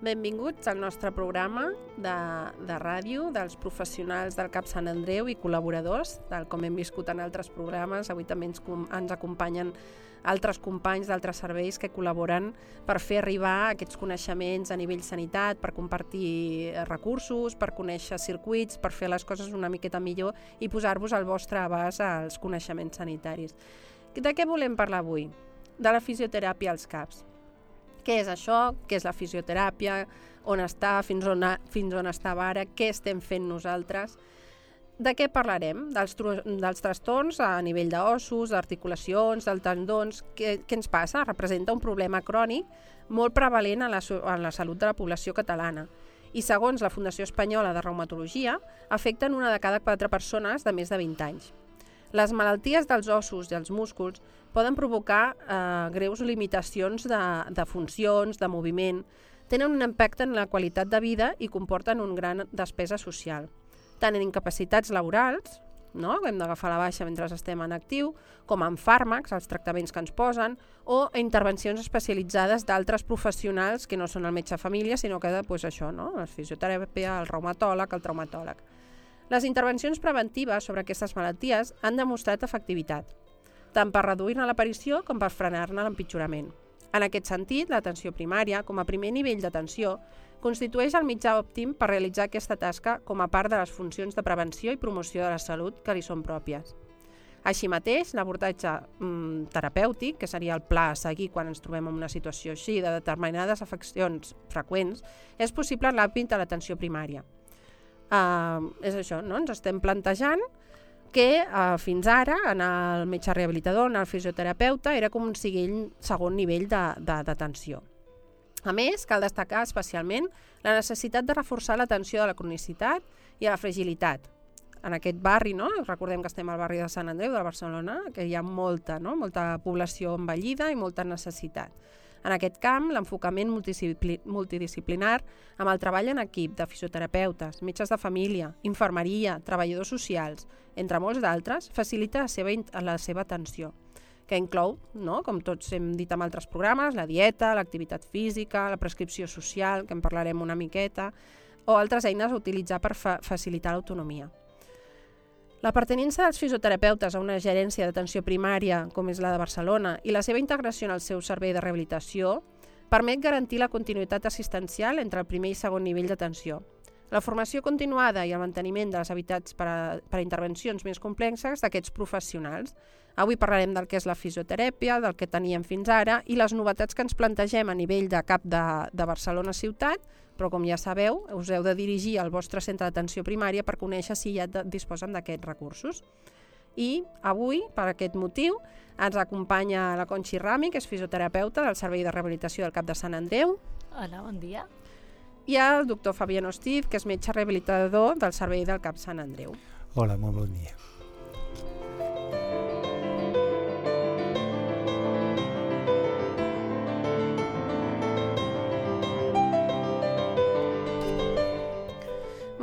Benvinguts al nostre programa de ràdio dels professionals del CAP Sant Andreu i col·laboradors, tal com hem viscut en altres programes. Avui també ens acompanyen altres companys d'altres serveis que col·laboren per fer arribar aquests coneixements a nivell sanitat, per compartir recursos, per conèixer circuits, per fer les coses una miqueta millor i posar-vos al vostre abast als coneixements sanitaris. De què volem parlar avui? De la fisioteràpia als CAPs. Què és això? Què és la fisioteràpia? On està? Fins on estava ara? Què estem fent nosaltres? De què parlarem? Dels trastorns a nivell d'ossos, d'articulacions, dels tendons. Què ens passa? Representa un problema crònic molt prevalent en la salut de la població catalana. I segons la Fundació Espanyola de Reumatologia, afecten una de cada 4 persones de més de 20 anys. Les malalties dels ossos i els músculs poden provocar greus limitacions de funcions, de moviment, tenen un impacte en la qualitat de vida i comporten una gran despesa social, tant en incapacitats laborals, no? Hem d'agafar la baixa mentre estem en actiu, com en fàrmacs, els tractaments que ens posen, o intervencions especialitzades d'altres professionals que no són el metge de família, sinó que això, no? La fisioteràpia, el reumatòleg, el traumatòleg. Les intervencions preventives sobre aquestes malalties han demostrat efectivitat, tant per reduir-ne l'aparició com per frenar-ne l'empitjorament. En aquest sentit, l'atenció primària, com a primer nivell d'atenció, constitueix el mitjà òptim per realitzar aquesta tasca com a part de les funcions de prevenció i promoció de la salut que li són pròpies. Així mateix, l'abordatge terapèutic, que seria el pla a seguir quan ens trobem en una situació així de determinades afeccions freqüents, és possible en l'àmbit de l'atenció primària. És això, no? Ens estem plantejant que fins ara en el metge rehabilitador, en el fisioterapeuta, era com un segon nivell d'atenció. A més, cal destacar especialment la necessitat de reforçar l'atenció a la cronicitat i a la fragilitat. En aquest barri, no? Recordem que estem al barri de Sant Andreu de Barcelona, que hi ha molta població envellida i molta necessitat. En aquest camp, l'enfocament multidisciplinar amb el treball en equip de fisioterapeutes, metges de família, infermeria, treballadors socials, entre molts d'altres, facilita la seva atenció, que inclou, no? Com tots hem dit en altres programes, la dieta, l'activitat física, la prescripció social, que en parlarem una miqueta, o altres eines a utilitzar per facilitar l'autonomia. La pertinença dels fisioterapeutes a una gerència d'atenció primària, com és la de Barcelona, i la seva integració en el seu servei de rehabilitació permet garantir la continuïtat assistencial entre el primer i segon nivell d'atenció. La formació continuada i el manteniment de les habilitats per a intervencions més complexes d'aquests professionals. Avui parlarem del que és la fisioteràpia, del que teníem fins ara i les novetats que ens plantegem a nivell de CAP de Barcelona ciutat, però com ja sabeu, us heu de dirigir al vostre centre d'atenció primària per conèixer si ja disposen d'aquests recursos. I avui, per aquest motiu, ens acompanya la Conxi Rami, que és fisioterapeuta del Servei de Rehabilitació del CAP de Sant Andreu. Hola, bon dia. I el doctor Fabián Ostiz, que és metge rehabilitador del Servei del CAP Sant Andreu. Hola, molt bon dia.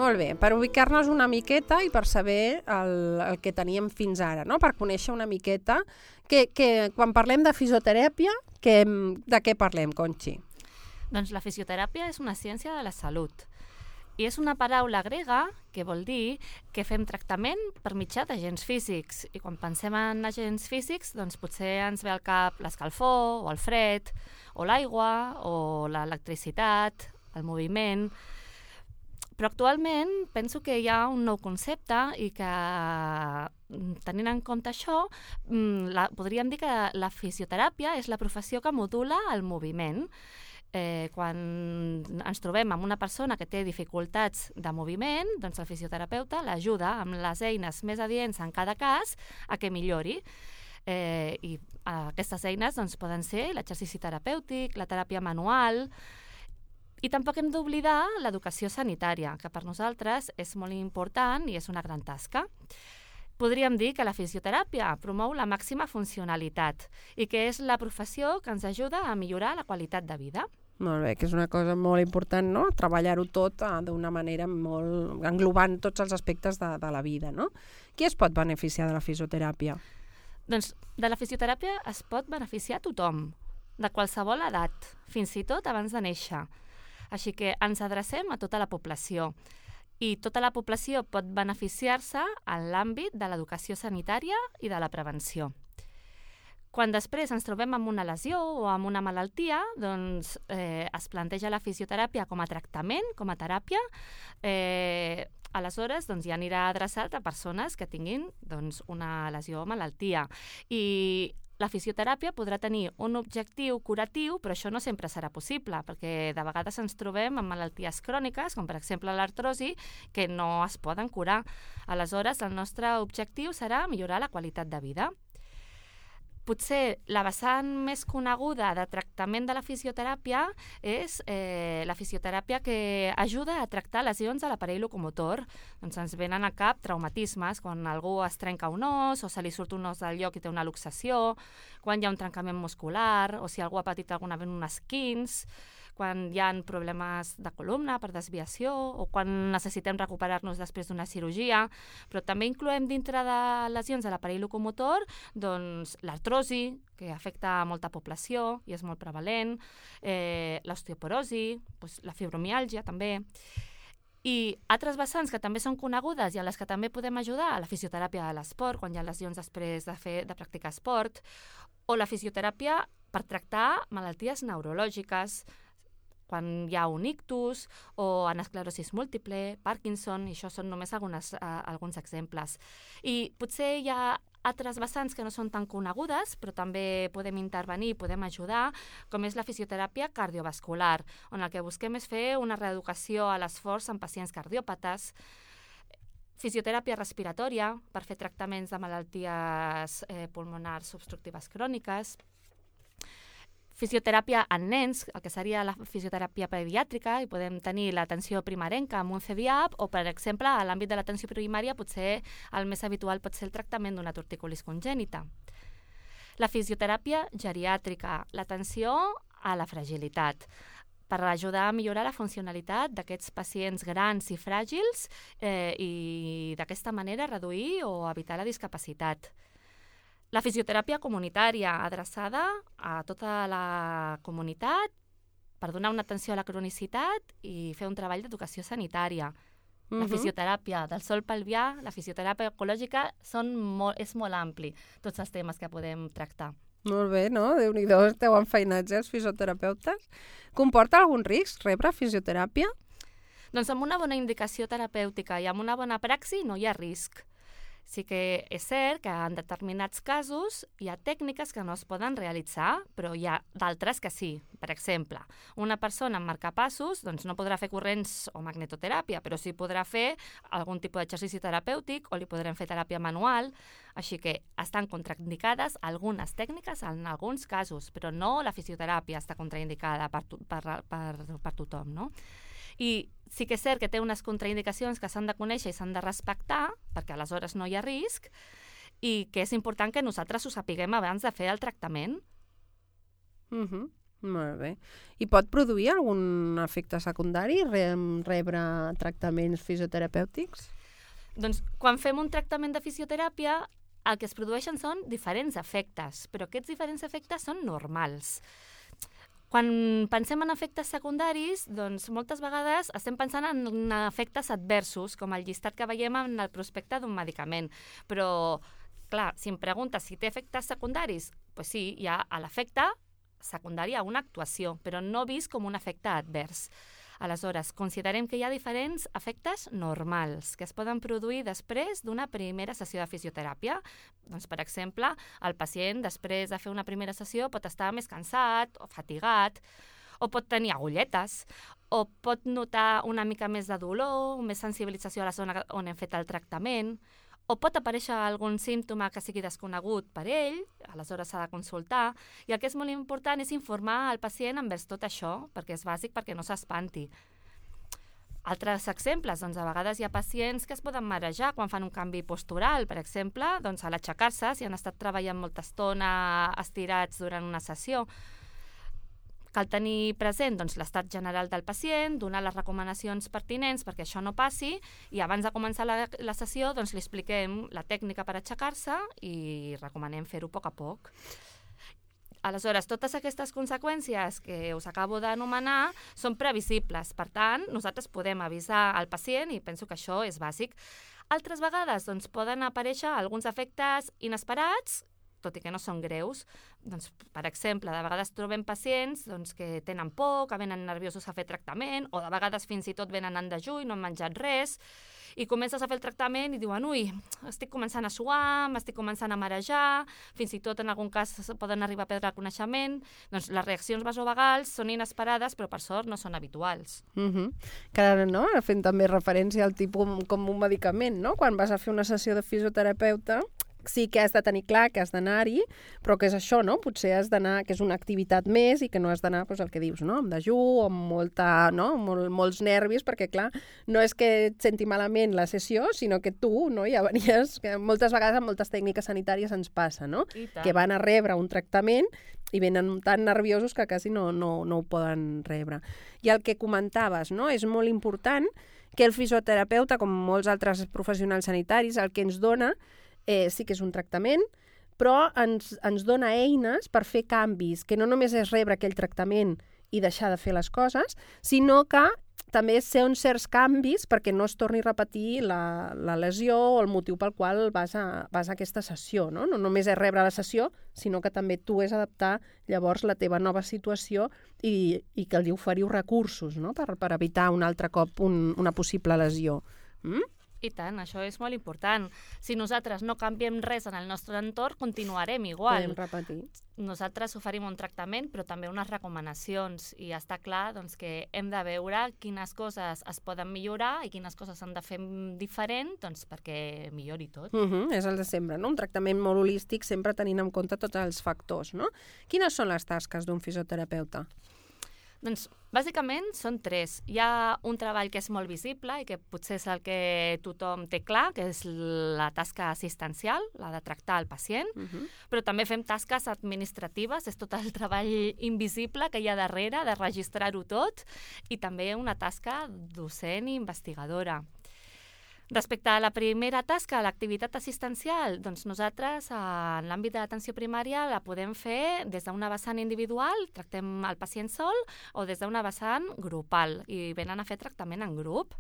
Molt bé, per ubicar-nos una miqueta i per saber el que teníem fins ara, no? Per conèixer una miqueta que quan parlem de fisioteràpia, de què parlem, Conxi? Doncs la fisioteràpia és una ciència de la salut i és una paraula grega que vol dir que fem tractament per mitjà d'agents físics. I quan pensem en agents físics, doncs potser ens ve al cap l'escalfor o el fred o l'aigua o l'electricitat, el moviment. Però actualment penso que hi ha un nou concepte i que, tenint en compte això, podríem dir que la fisioteràpia és la professió que modula el moviment. Quan ens trobem amb una persona que té dificultats de moviment, doncs el fisioterapeuta l'ajuda amb les eines més adients en cada cas a que millori. I aquestes eines doncs, poden ser l'exercici terapèutic, la teràpia manual. I tampoc hem d'oblidar l'educació sanitària, que per nosaltres és molt important i és una gran tasca. Podríem dir que la fisioteràpia promou la màxima funcionalitat i que és la professió que ens ajuda a millorar la qualitat de vida. Molt bé, que és una cosa molt important, no? Treballar-ho tot d'una manera molt englobant tots els aspectes de la vida, no? Qui es pot beneficiar de la fisioteràpia? Doncs de la fisioteràpia es pot beneficiar tothom, de qualsevol edat, fins i tot abans de néixer. Així que ens adrecem a tota la població. I tota la població pot beneficiar-se en l'àmbit de l'educació sanitària i de la prevenció. Quan després ens trobem amb una lesió o amb una malaltia, doncs es planteja la fisioteràpia com a tractament, com a teràpia. Aleshores, doncs, ja anirà adreçat a persones que tinguin una lesió o malaltia. I la fisioteràpia podrà tenir un objectiu curatiu, però això no sempre serà possible, perquè de vegades ens trobem amb malalties cròniques, com per exemple l'artrosi, que no es poden curar. Aleshores, el nostre objectiu serà millorar la qualitat de vida. Potser la vessant més coneguda de tractament de la fisioteràpia és la fisioteràpia que ajuda a tractar lesions a l'aparell locomotor. Doncs ens venen a cap traumatismes, quan algú es trenca un os o se li surt un os del lloc i té una luxació, quan hi ha un trencament muscular o si algú ha patit alguna vegada un esquins, quan hi ha problemes de columna per desviació o quan necessitem recuperar-nos després d'una cirurgia, però també incloem dintre de lesions de l'aparell locomotor doncs, l'artrosi, que afecta a molta població i és molt prevalent, l'osteoporosi, doncs, la fibromiàlgia també. I altres vessants que també són conegudes i a les que també podem ajudar, la fisioteràpia de l'esport, quan hi ha lesions després de practicar esport, o la fisioteràpia per tractar malalties neurològiques, quan hi ha un ictus o en esclerosis múltiple, Parkinson, i això són només alguns exemples. I potser hi ha altres vessants que no són tan conegudes, però també podem intervenir, podem ajudar, com és la fisioteràpia cardiovascular, on el que busquem és fer una reeducació a l'esforç en pacients cardiòpates, fisioteràpia respiratòria, per fer tractaments de malalties pulmonars obstructives cròniques, fisioteràpia en nens, el que seria la fisioteràpia pediàtrica, i podem tenir l'atenció primerenca amb un CDAP, o, per exemple, a l'àmbit de l'atenció primària, potser el més habitual pot ser el tractament d'una torticolis congènita. La fisioteràpia geriàtrica, l'atenció a la fragilitat, per ajudar a millorar la funcionalitat d'aquests pacients grans i fràgils i d'aquesta manera reduir o evitar la discapacitat. La fisioteràpia comunitària, adreçada a tota la comunitat per donar una atenció a la cronicitat i fer un treball d'educació sanitària. La fisioteràpia del sòl pelvià, la fisioteràpia ecològica, és molt ampli, tots els temes que podem tractar. Molt bé, no? Déu-n'hi-do, esteu enfeinats, els fisioterapeutes. Comporta algun risc rebre fisioteràpia? Doncs amb una bona indicació terapèutica i amb una bona praxi no hi ha risc. Sí que és cert que en determinats casos hi ha tècniques que no es poden realitzar, però hi ha d'altres que sí. Per exemple, una persona amb marcapassos doncs no podrà fer corrents o magnetoteràpia, però sí podrà fer algun tipus d'exercici terapèutic o li podrem fer teràpia manual, així que estan contraindicades algunes tècniques en alguns casos, però no la fisioteràpia està contraindicada per tothom, no? I sí que és cert que té unes contraindicacions que s'han de conèixer i s'han de respectar, perquè aleshores no hi ha risc, i que és important que nosaltres ho sapiguem abans de fer el tractament. Molt bé. I pot produir algun efecte secundari rebre tractaments fisioterapèutics? Doncs quan fem un tractament de fisioteràpia, el que es produeixen són diferents efectes, però aquests diferents efectes són normals. Quan pensem en efectes secundaris, doncs moltes vegades estem pensant en efectes adversos, com el llistat que veiem en el prospecte d'un medicament. Però, clar, si em preguntes si té efectes secundaris, doncs sí, hi ha l'efecte secundari a una actuació, però no vist com un efecte advers. Aleshores, considerem que hi ha diferents efectes normals que es poden produir després d'una primera sessió de fisioteràpia. Doncs, per exemple, el pacient després de fer una primera sessió pot estar més cansat o fatigat, o pot tenir agulletes, o pot notar una mica més de dolor, més sensibilització a la zona on hem fet el tractament, o pot aparèixer algun símptoma que sigui desconegut per ell, aleshores s'ha de consultar, i el que és molt important és informar el pacient envers tot això, perquè és bàsic perquè no s'espanti. Altres exemples, doncs a vegades hi ha pacients que es poden marejar quan fan un canvi postural, per exemple, doncs a l'aixecar-se, si han estat treballant molta estona estirats durant una sessió. Cal tenir present doncs, l'estat general del pacient, donar les recomanacions pertinents perquè això no passi, i abans de començar la sessió doncs, li expliquem la tècnica per aixecar-se i recomanem fer-ho a poc a poc. Aleshores, totes aquestes conseqüències que us acabo d'anomenar són previsibles. Per tant, nosaltres podem avisar al pacient i penso que això és bàsic. Altres vegades doncs, poden aparèixer alguns efectes inesperats, tot i que no són greus. Doncs, per exemple, de vegades trobem pacients doncs, que tenen por, que venen nerviosos a fer tractament, o de vegades fins i tot venen en dejú i no han menjat res, i comences a fer el tractament i diuen ui, estic començant a suar, m'estic començant a marejar, fins i tot en algun cas poden arribar a perdre el coneixement. Doncs les reaccions vasovagals són inesperades, però per sort no són habituals. Que, no? Fent també referència al tipus com un medicament, no? Quan vas a fer una sessió de fisioterapeuta, sí que has de tenir clar que has d'anar-hi, però que és això, no? Potser has d'anar, que és una activitat més i que no has d'anar, doncs, el que dius, no? Amb dejú o amb molts nervis, perquè, clar, no és que et senti malament la sessió, sinó que tu, no? Ja venies, que moltes vegades amb moltes tècniques sanitàries ens passa, no? Que van a rebre un tractament i venen tan nerviosos que quasi no ho poden rebre. I el que comentaves, no? És molt important que el fisioterapeuta, com molts altres professionals sanitaris, el que ens dona sí que és un tractament, però ens dona eines per fer canvis, que no només és rebre aquell tractament i deixar de fer les coses, sinó que també ser uns certs canvis perquè no es torni a repetir la lesió o el motiu pel qual vas a aquesta sessió. No només és rebre la sessió, sinó que també tu és adaptar llavors la teva nova situació i que li oferiu recursos, no? per evitar un altre cop una possible lesió. I tant, això és molt important. Si nosaltres no canviem res en el nostre entorn, continuarem igual. Podem repetir. Nosaltres oferim un tractament, però també unes recomanacions. I està clar doncs, que hem de veure quines coses es poden millorar i quines coses s'han de fer diferent doncs, perquè millori tot. És el de sempre, no? Un tractament molt holístic, sempre tenint en compte tots els factors, no? Quines són les tasques d'un fisioterapeuta? Doncs, bàsicament, són 3. Hi ha un treball que és molt visible i que potser és el que tothom té clar, que és la tasca assistencial, la de tractar el pacient, però també fem tasques administratives, és tot el treball invisible que hi ha darrere, de registrar-ho tot, i també una tasca docent i investigadora. Respecte a la primera tasca, l'activitat assistencial, doncs nosaltres en l'àmbit de l'atenció primària la podem fer des d'una vessant individual, tractem el pacient sol, o des d'una vessant grupal, i venen a fer tractament en grup.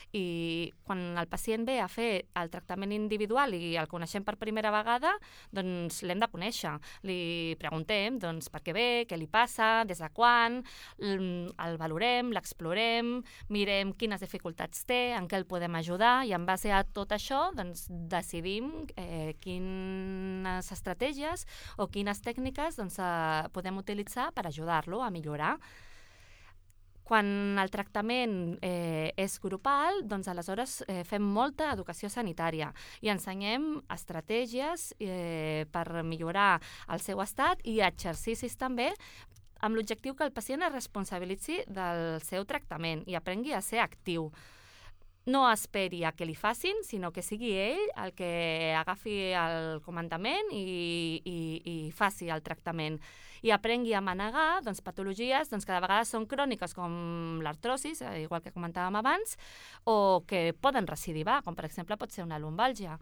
I quan el pacient ve a fer el tractament individual i el coneixem per primera vegada, doncs l'hem de conèixer. Li preguntem doncs, per què ve, què li passa, des de quan, el valorem, l'explorem, mirem quines dificultats té, en què el podem ajudar, i en base a tot això doncs, decidim quines estratègies o quines tècniques doncs, podem utilitzar per ajudar-lo a millorar. Quan el tractament és grupal, doncs aleshores fem molta educació sanitària i ensenyem estratègies per millorar el seu estat i exercicis també amb l'objectiu que el pacient es responsabilitzi del seu tractament i aprengui a ser actiu. No esperi a que li facin, sinó que sigui ell el que agafi el comandament i faci el tractament. I aprengui a manegar doncs, patologies doncs, que de vegades són cròniques, com l'artrosis, igual que comentàvem abans, o que poden recidivar, com per exemple pot ser una lumbàlgia.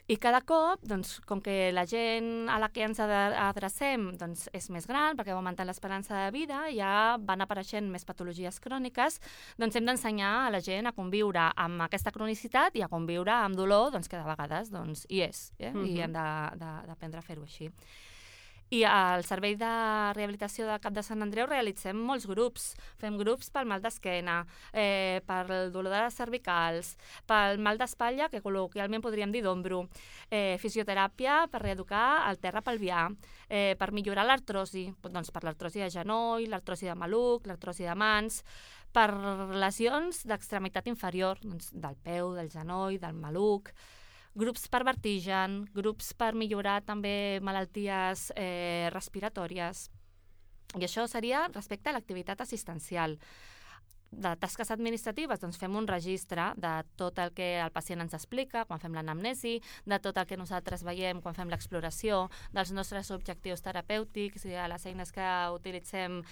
I cada cop, doncs, com que la gent a la que ens adrecem doncs, és més gran, perquè va augmentant l'esperança de vida, ja van apareixent més patologies cròniques, doncs hem d'ensenyar a la gent a conviure amb aquesta cronicitat i a conviure amb dolor, doncs, que de vegades doncs, hi és, i hem d'aprendre a fer-ho així. I al Servei de Rehabilitació del Cap de Sant Andreu realitzem molts grups. Fem grups pel mal d'esquena, pel dolor de les cervicals, pel mal d'espatlla, que col·loquialment podríem dir d'ombro, fisioteràpia per reeducar el terra pelvià, per millorar l'artrosi, doncs per l'artrosi de genoll, l'artrosi de maluc, l'artrosi de mans, per lesions d'extremitat inferior, doncs del peu, del genoll, del maluc, grups per vertigen, grups per millorar també malalties respiratòries. I això seria respecte a l'activitat assistencial. De tasques administratives, doncs fem un registre de tot el que el pacient ens explica quan fem l'anamnesi, de tot el que nosaltres veiem quan fem l'exploració, dels nostres objectius terapèutics i de les eines que utilitzem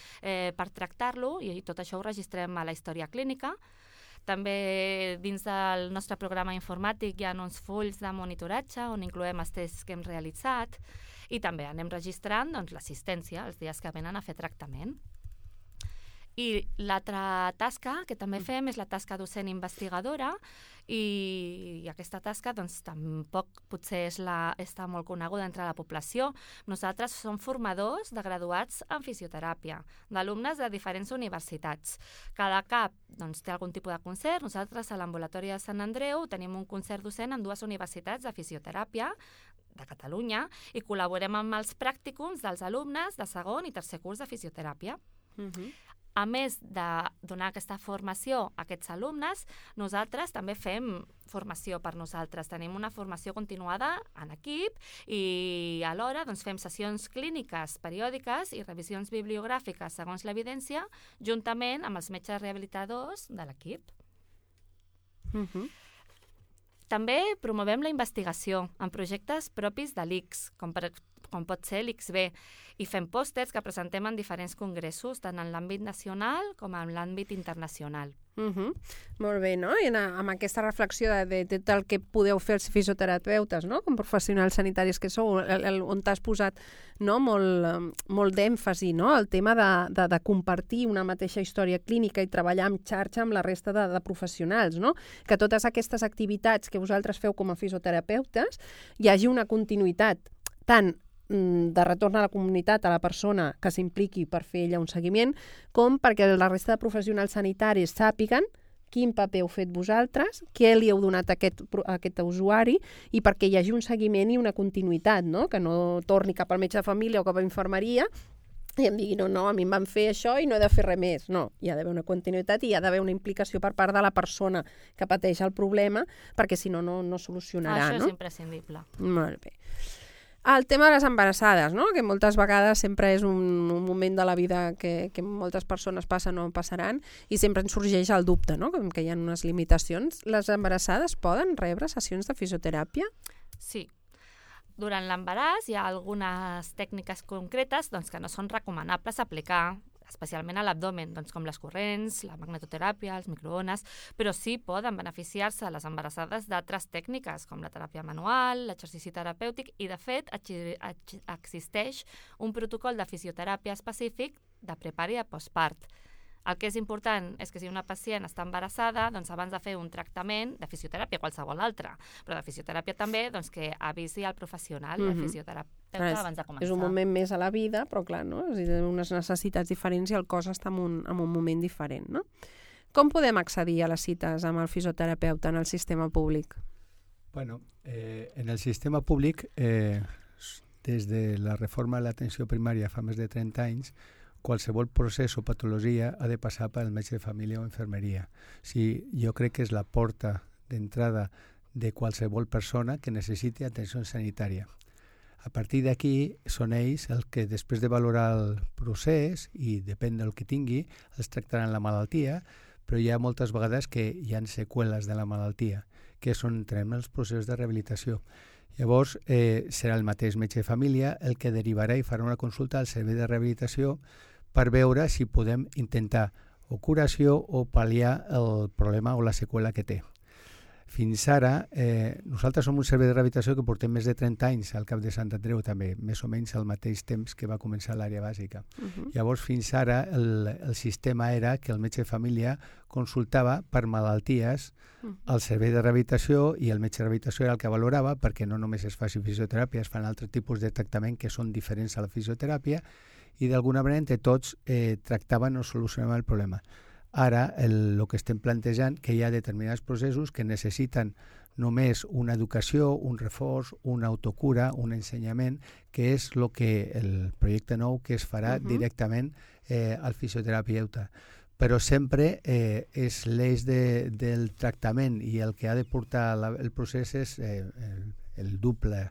per tractar-lo, i tot això ho registrem a la història clínica. També dins del nostre programa informàtic hi ha uns fulls de monitoratge on incloem els tests que hem realitzat I també anem registrant l'assistència, els dies que venen a fer tractament. I l'altra tasca que també fem és la tasca docent investigadora i aquesta tasca tampoc potser està molt coneguda entre la població. Nosaltres som formadors de graduats en fisioteràpia, d'alumnes de diferents universitats. Cada CAP té algun tipus de concert. Nosaltres a l'ambulatori de Sant Andreu tenim un concert docent en 2 universitats de fisioteràpia de Catalunya i col·laborem amb els pràcticums dels alumnes de segon i tercer curs de fisioteràpia. A més de donar aquesta formació a aquests alumnes, nosaltres també fem formació per nosaltres. Tenim una formació continuada en equip i alhora fem sessions clíniques periòdiques i revisions bibliogràfiques segons l'evidència, juntament amb els metges rehabilitadors de l'equip. També promovem la investigació en projectes propis de l'ICS, com pot ser l'ICSB, i fem pòsters que presentem en diferents congressos, tant en l'àmbit nacional com en l'àmbit internacional. Molt bé, no? I amb aquesta reflexió de tot el que podeu fer els fisioterapeutes, no? Com professionals sanitaris que sou, on t'has posat molt d'èmfasi, no? El tema de compartir una mateixa història clínica i treballar en xarxa amb la resta de professionals, no? Que totes aquestes activitats que vosaltres feu com a fisioterapeutes hi hagi una continuïtat, tant de retorn a la comunitat, a la persona que s'impliqui per fer ella un seguiment, com perquè la resta de professionals sanitaris sàpiguen quin paper heu fet vosaltres, què li heu donat a aquest usuari i perquè hi hagi un seguiment i una continuïtat, no? Que no torni cap al metge de família o cap a infermeria i em digui, no, a mi em van fer això i no he de fer res més. No, hi ha d'haver una continuïtat i hi ha d'haver una implicació per part de la persona que pateix el problema, perquè si no, no solucionarà. Això és imprescindible. Molt bé. El tema de les embarassades, no? Que moltes vegades sempre és un moment de la vida que moltes persones passen o passaran i sempre ens sorgeix el dubte, no? Que hi ha unes limitacions. Les embarassades poden rebre sessions de fisioteràpia? Sí. Durant l'embaràs hi ha algunes tècniques concretes que no són recomanables aplicar, especialment a l'abdomen, com les corrents, la magnetoteràpia, els microones, però sí poden beneficiar-se les embarassades d'altres tècniques, com la teràpia manual, l'exercici terapèutic, i de fet existeix un protocol de fisioteràpia específic de prepart i de postpart. El que és important és que si una pacient està embarassada, abans de fer un tractament de fisioteràpia, qualsevol altre, però de fisioteràpia també, que avisi al professional, el fisioterapeuta, abans de començar. És un moment més a la vida, però clar, no? Té unes necessitats diferents i el cos està en un moment diferent, no? Com podem accedir a les cites amb el fisioterapeuta en el sistema públic? Bueno, en el sistema públic, des de la reforma de l'atenció primària fa més de 30 anys, qualsevol procés o patologia ha de passar pel metge de família o infermeria. Jo crec que és la porta d'entrada de qualsevol persona que necessiti atenció sanitària. A partir d'aquí són ells els que, després de valorar el procés, i depèn del que tingui, els tractaran la malaltia, però hi ha moltes vegades que hi ha seqüeles de la malaltia, que són els processos de rehabilitació. Llavors, serà el mateix metge de família el que derivarà i farà una consulta al servei de rehabilitació per veure si podem intentar o curació o pal·liar el problema o la seqüela que té. Fins ara, nosaltres som un servei de rehabilitació que portem més de 30 anys al CAP de Sant Andreu també, més o menys al mateix temps que va començar l'àrea bàsica. Llavors, fins ara, el sistema era que el metge de família consultava per malalties al servei de rehabilitació i el metge de rehabilitació era el que valorava, perquè no només es faci fisioteràpia, es fan altres tipus de tractament que són diferents a la fisioteràpia i d'alguna manera entre tots tractaven o solucionaven el problema. Ara el que estem plantejant que hi ha determinats processos que necessiten només una educació, un reforç, una autocura, un ensenyament, que és el projecte nou que es farà directament al fisioterapeuta. Però sempre és l'eix del tractament i el que ha de portar el procés és el doble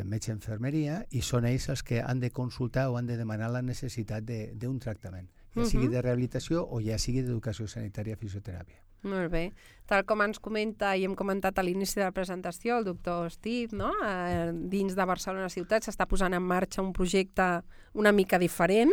metge infermeria i són ells els que han de consultar o han de demanar la necessitat d'un tractament, ja sigui de rehabilitació o ja sigui d'educació sanitària fisioteràpia. Molt bé. Tal com ens comenta i hem comentat a l'inici de la presentació, el doctor Steve, no? Dins de Barcelona ciutat s'està posant en marxa un projecte una mica diferent,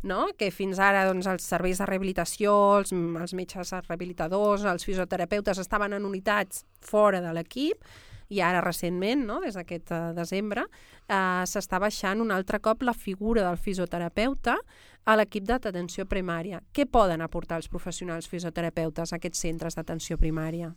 no? Que fins ara els serveis de rehabilitació, els metges rehabilitadors, els fisioterapeutes estaven en unitats fora de l'equip, i ara recentment, no, des d'aquest desembre, s'està baixant un altre cop la figura del fisioterapeuta a l'equip d'atenció primària. Què poden aportar els professionals fisioterapeutes a aquests centres d'atenció primària?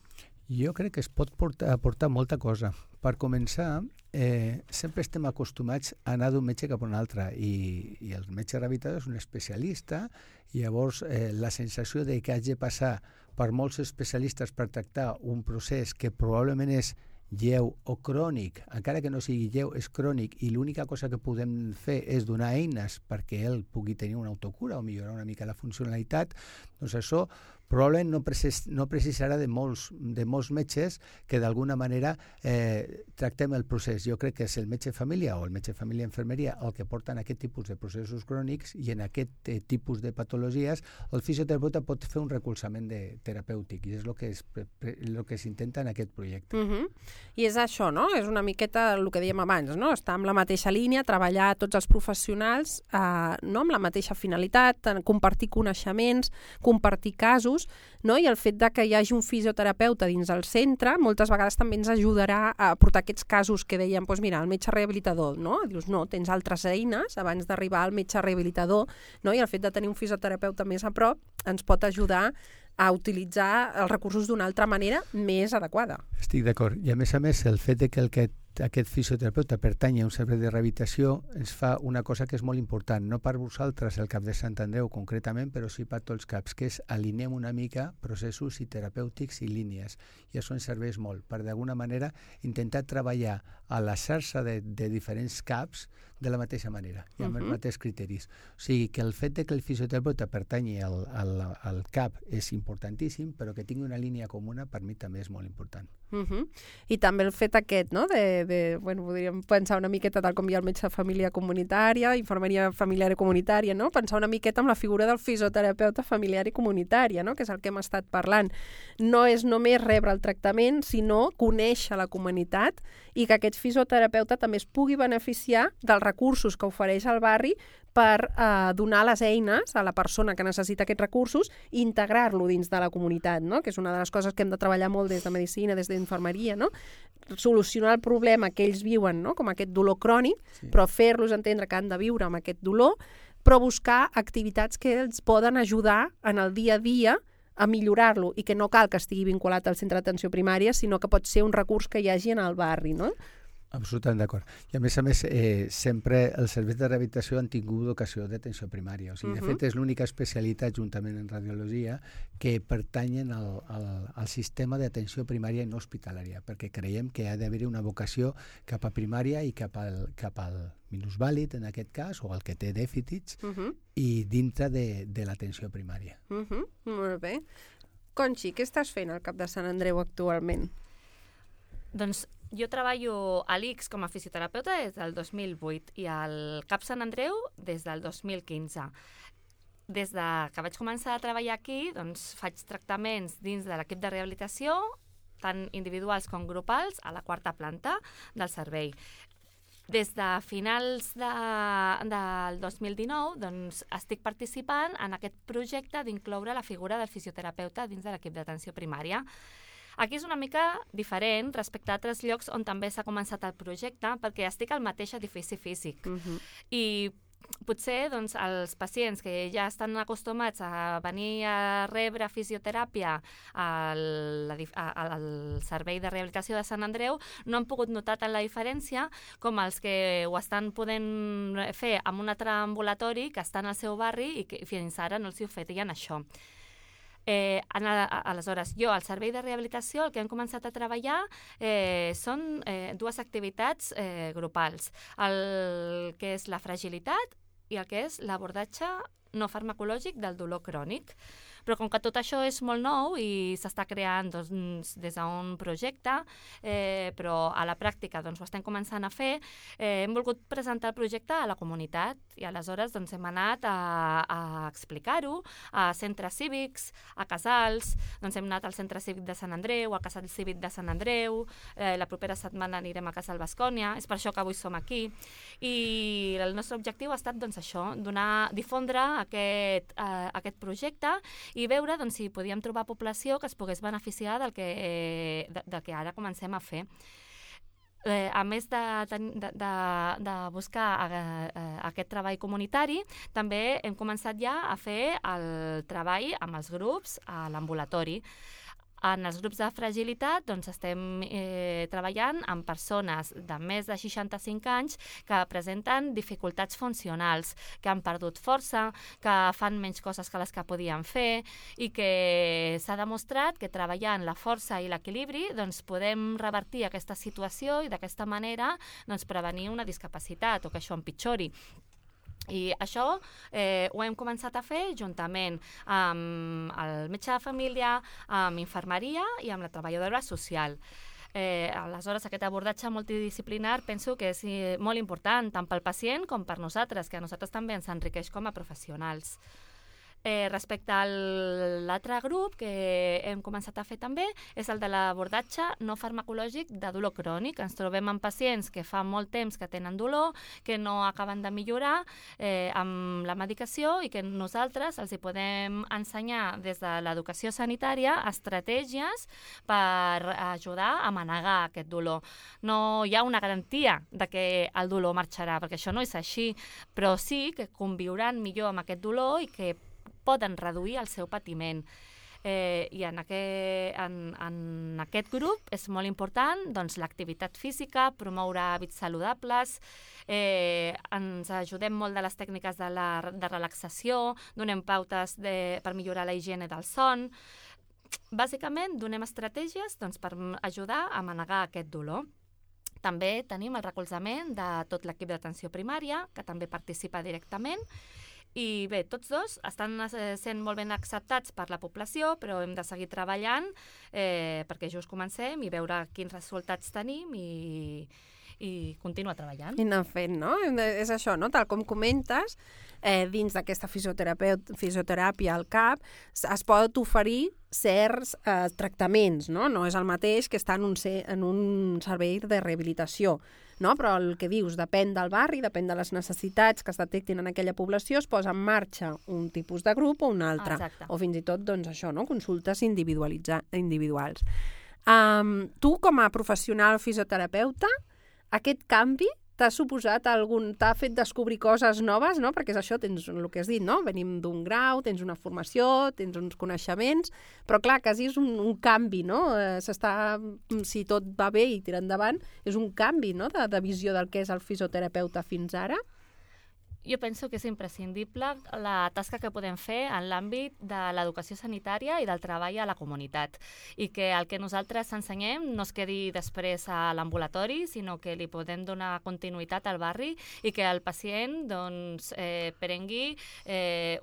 Jo crec que es pot aportar molta cosa. Per començar, sempre estem acostumats a anar d'un metge cap a un altre i el metge rehabilitador és un especialista i llavors la sensació de que hagi de passar per molts especialistes per tractar un procés que probablement és lleu o crònic, encara que no sigui lleu, és crònic i l'única cosa que podem fer és donar eines perquè ell pugui tenir una autocura o millorar una mica la funcionalitat, doncs això probablement no precisarà de molts metges que d'alguna manera tractem el procés. Jo crec que és el metge de família o el metge de família infermeria el que porten aquest tipus de processos crònics i en aquest tipus de patologies el fisioterapeuta pot fer un recolzament terapèutic i és el que s'intenta en aquest projecte. I és això, no? És una miqueta el que dèiem abans, no? Estar amb la mateixa línia, treballar tots els professionals no amb la mateixa finalitat, compartir coneixements, compartir casos, no? I el fet de que hi hagi un fisioterapeuta dins del centre moltes vegades també ens ajudarà a portar aquests casos que dèiem, doncs mira, el metge rehabilitador, no? Dius, no, tens altres eines abans d'arribar al metge rehabilitador, no? I el fet de tenir un fisioterapeuta més a prop ens pot ajudar a utilitzar els recursos d'una altra manera més adequada. Estic d'acord. I a més, el fet de que aquest fisioterapeuta pertanyi a un servei de rehabilitació ens fa una cosa que és molt important, no per vosaltres, el CAP de Sant Andreu concretament, però sí per tots els CAPs, que és alineem una mica processos i terapèutics i línies. I això ens serveix molt, per d'alguna manera intentar treballar a la xarxa de diferents CAPs de la mateixa manera i amb els mateixos criteris. O sigui, que el fet de que el fisioterapeuta pertanyi al CAP és importantíssim, però que tingui una línia comuna per mi també és molt important. I també el fet aquest, no? Podríem pensar una miqueta tal com hi ha el metge de família comunitària, infermeria familiar i comunitària, no? Pensar una miqueta amb la figura del fisioterapeuta familiar i comunitària, no? Que és el que hem estat parlant. No és només rebre el tractament, sinó conèixer la comunitat i que aquest fisioterapeuta també es pugui beneficiar dels recursos que ofereix el barri per donar les eines a la persona que necessita aquests recursos i integrar-lo dins de la comunitat, no? Que és una de les coses que hem de treballar molt des de medicina, des d'infermeria, no? Solucionar el problema que ells viuen, no? Com aquest dolor crònic, però fer-los entendre que han de viure amb aquest dolor, però buscar activitats que els poden ajudar en el dia a dia a millorar-lo i que no cal que estigui vinculat al centre d'atenció primària, sinó que pot ser un recurs que hi hagi en el barri, no? Absolutament d'acord. I a més, sempre els serveis de rehabilitació han tingut vocació d'atenció primària. O sigui, de fet, és l'única especialitat, juntament en radiologia, que pertanyen al sistema d'atenció primària no hospitalària, perquè creiem que ha d'haver una vocació cap a primària i cap al minusvàlid, en aquest cas, o el que té dèficits, i dintre de l'atenció primària. Molt bé. Conxi, què estàs fent al CAP de Sant Andreu actualment? Doncs jo treballo a l'ICS com a fisioterapeuta des del 2008 i al CAP Sant Andreu des del 2015. Des que vaig començar a treballar aquí, doncs, faig tractaments dins de l'equip de rehabilitació, tant individuals com grupals, a la 4ª planta del servei. Des de finals del 2019 doncs, estic participant en aquest projecte d'incloure la figura del fisioterapeuta dins de l'equip d'atenció primària. Aquí és una mica diferent respecte a altres llocs on també s'ha començat el projecte, perquè estic al mateix edifici físic. I potser doncs, els pacients que ja estan acostumats a venir a rebre fisioteràpia al servei de rehabilitació de Sant Andreu no han pogut notar tant la diferència com els que ho estan podent fer amb un altre ambulatori que està en el seu barri i que fins ara no els hi oferien això. Aleshores, jo al servei de rehabilitació el que hem començat a treballar són dues activitats grupals, el que és la fragilitat i el que és l'abordatge no farmacològic del dolor crònic. Però com que tot això és molt nou i s'està creant doncs, des d'un projecte, però a la pràctica doncs, ho estem començant a fer, hem volgut presentar el projecte a la comunitat i aleshores doncs, hem anat a explicar-ho a centres cívics, a casals, doncs, hem anat al centre cívic de Sant Andreu, al casal cívic de Sant Andreu, la propera setmana anirem a Casal Bascònia, és per això que avui som aquí. I el nostre objectiu ha estat doncs, això, difondre aquest projecte i veure doncs, si podíem trobar població que es pogués beneficiar del que ara comencem a fer. A més de buscar aquest treball comunitari, també hem començat ja a fer el treball amb els grups a l'ambulatori. En els grups de fragilitat doncs, estem treballant amb persones de més de 65 anys que presenten dificultats funcionals, que han perdut força, que fan menys coses que les que podien fer i que s'ha demostrat que treballant la força i l'equilibri doncs, podem revertir aquesta situació i d'aquesta manera doncs, prevenir una discapacitat o que això empitjori. I això ho hem començat a fer juntament amb el metge de família, amb infermeria i amb la treballadora social. Aleshores, aquest abordatge multidisciplinar penso que és molt important tant pel pacient com per nosaltres, que a nosaltres també ens enriqueix com a professionals. Respecte a l'altre grup que hem començat a fer també és el de l'abordatge no farmacològic de dolor crònic. Ens trobem amb pacients que fa molt temps que tenen dolor, que no acaben de millorar amb la medicació i que nosaltres els hi podem ensenyar des de l'educació sanitària estratègies per ajudar a manegar aquest dolor. No hi ha una garantia de que el dolor marxarà, perquè això no és així, però sí que conviuran millor amb aquest dolor i que poden reduir el seu patiment. I en aquest grup és molt important doncs, l'activitat física, promoure hàbits saludables, ens ajudem molt de les tècniques de relaxació, donem pautes per millorar la higiene del son. Bàsicament, donem estratègies doncs, per ajudar a manegar aquest dolor. També tenim el recolzament de tot l'equip d'atenció primària, que també participa directament. I bé, tots dos estan sent molt ben acceptats per la població, però hem de seguir treballant perquè just comencem i veure quins resultats tenim i continuar treballant. I anar fent, no? És això, no? Tal com comentes, dins d'aquesta fisioteràpia al CAP es pot oferir certs tractaments, no? No és el mateix que estar en un servei de rehabilitació, no? Però el que dius depèn del barri, depèn de les necessitats que es detectin en aquella població, es posa en marxa un tipus de grup o un altre. Exacte. O fins i tot, doncs, això, no? Consultes individuals. Tu, com a professional fisioterapeuta, aquest canvi t'ha fet descobrir coses noves, no? Perquè és això, tens el que has dit, no? Venim d'un grau, tens una formació, tens uns coneixements, però clar, quasi és un canvi, no? Si tot va bé i tira endavant, és un canvi, no? De visió del que és el fisioterapeuta fins ara. Jo penso que és imprescindible la tasca que podem fer en l'àmbit de l'educació sanitària i del treball a la comunitat i que el que nosaltres ensenyem no es quedi després a l'ambulatori, sinó que li podem donar continuïtat al barri i que el pacient doncs, prengui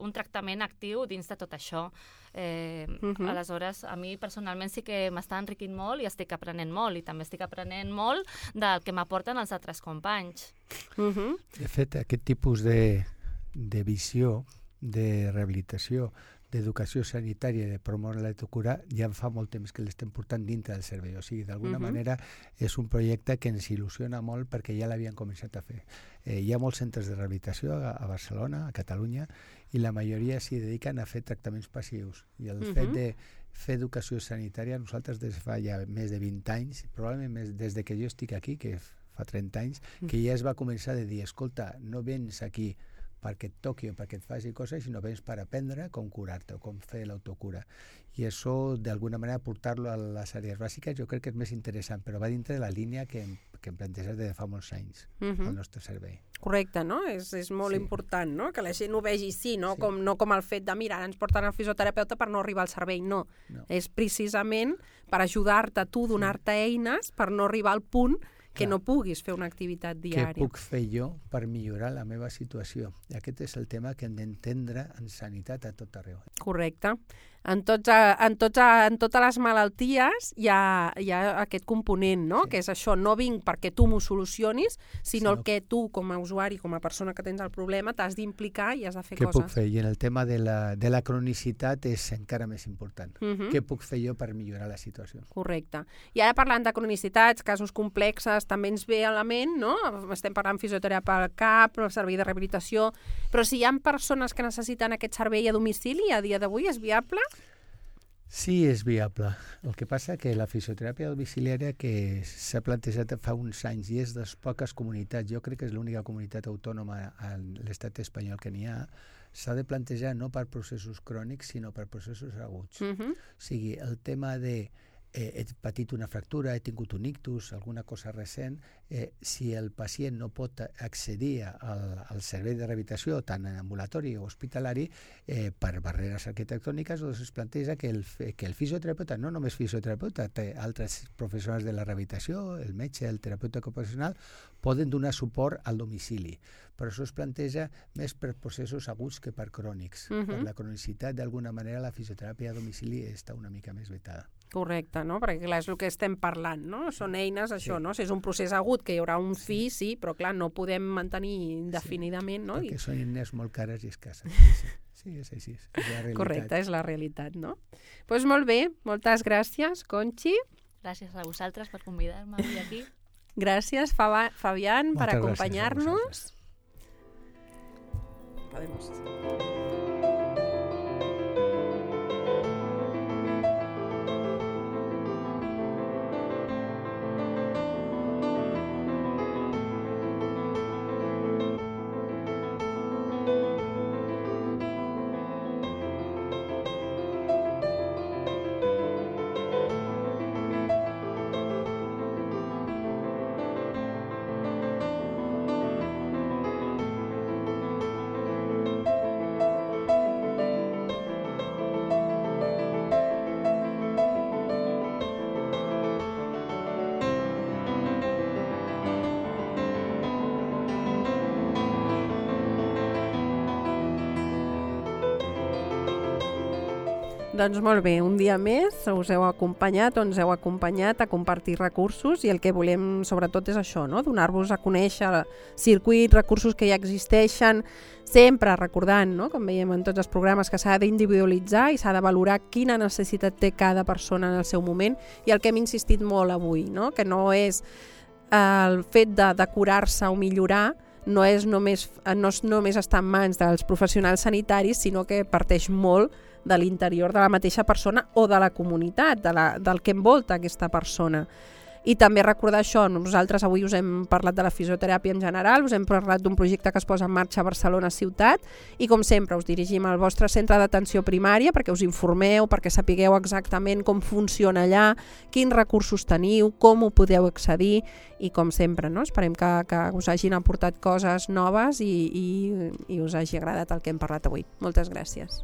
un tractament actiu dins de tot això. Aleshores, a mi personalment sí que m'està enriquint molt i estic aprenent molt i també estic aprenent molt del que m'aporten els altres companys. De fet, aquest tipus de visió de rehabilitació, d'educació sanitària, de promoure l'autocura, ja fa molt temps que l'estem portant dintre del servei. O sigui, d'alguna manera és un projecte que ens il·lusiona molt perquè ja l'havien començat a fer. Hi ha molts centres de rehabilitació a Barcelona, a Catalunya, i la majoria s'hi dediquen a fer tractaments passius. I el fet de fer educació sanitària, nosaltres des de fa ja més de 20 anys, probablement més des de que jo estic aquí, que fa 30 anys, que ja es va començar a dir, escolta, no vens aquí perquè et toqui o perquè et faci coses, sinó vens per aprendre com curar-te o com fer l'autocura. I això, d'alguna manera, portar-lo a les àrees bàsiques jo crec que és més interessant, però va dintre de la línia que em planteges de fa molts anys al nostre servei. Correcte, no? És molt important, no? Que la gent ho vegi així, no? No com el fet de, mira, ens porten al fisioterapeuta per no arribar al servei, no. És precisament per ajudar-te tu, donar-te eines per no arribar al punt que no puguis fer una activitat diària. Què puc fer jo per millorar la meva situació? I aquest és el tema que hem d'entendre en sanitat a tot arreu. Correcte. En totes les malalties hi ha aquest component, no? Que és això, no vinc perquè tu m'ho solucionis, sinó el que tu, com a usuari, com a persona que tens el problema, t'has d'implicar i has de fer coses. Què puc fer? I en el tema de la cronicitat és encara més important. Què puc fer jo per millorar la situació? Correcte. I ara parlant de cronicitats, casos complexes, també ens ve a la ment, no? Estem parlant fisioteràpia al CAP, el servei de rehabilitació, però si hi ha persones que necessiten aquest servei a domicili, a dia d'avui és viable? Sí, és viable. El que passa que la fisioteràpia domiciliària que s'ha plantejat fa uns anys i és de les poques comunitats, jo crec que és l'única comunitat autònoma a l'estat espanyol que n'hi ha, s'ha de plantejar no per processos crònics, sinó per processos aguts. O sigui, el tema de he patit una fractura, he tingut un ictus, alguna cosa recent, si el pacient no pot accedir al servei de rehabilitació, tant en ambulatori o hospitalari, per barreres arquitectòniques, doncs es planteja que el fisioterapeuta, no només fisioterapeuta, té altres professionals de la rehabilitació, el metge, el terapeuta ocupacional, poden donar suport al domicili. Però això es planteja més per processos aguts que per crònics. Per la cronicitat, d'alguna manera, la fisioteràpia a domicili està una mica més vetada. Correcte, no? Perquè clar, és el que estem parlant, no? Són eines, això, no? Si és un procés agut, que hi haurà un fi, sí, però clar, no podem mantenir indefinidament, no? Perquè són eines molt cares i escasses. Sí, és així, és la realitat. Correcte, és la realitat, no? Doncs molt bé, moltes gràcies, Conxi. Gràcies a vosaltres per convidar-me avui aquí. Gràcies, Fabián, per acompanyar-nos. Podemos. Doncs molt bé, un dia més us heu acompanyat o ens heu acompanyat a compartir recursos i el que volem sobretot és això, no? Donar-vos a conèixer circuits, recursos que ja existeixen, sempre recordant, no? Com veiem en tots els programes, que s'ha d'individualitzar i s'ha de valorar quina necessitat té cada persona en el seu moment i el que hem insistit molt avui, no? Que no és el fet de curar-se o millorar, no és només estar en mans dels professionals sanitaris, sinó que parteix molt de l'interior de la mateixa persona o de la comunitat, del que envolta aquesta persona. I també recordar això, nosaltres avui us hem parlat de la fisioteràpia en general, us hem parlat d'un projecte que es posa en marxa a Barcelona ciutat i com sempre us dirigim al vostre centre d'atenció primària perquè us informeu, perquè sapigueu exactament com funciona allà, quins recursos teniu, com ho podeu accedir i com sempre, no? Esperem que us hagin aportat coses noves i us hagi agradat el que hem parlat avui. Moltes gràcies.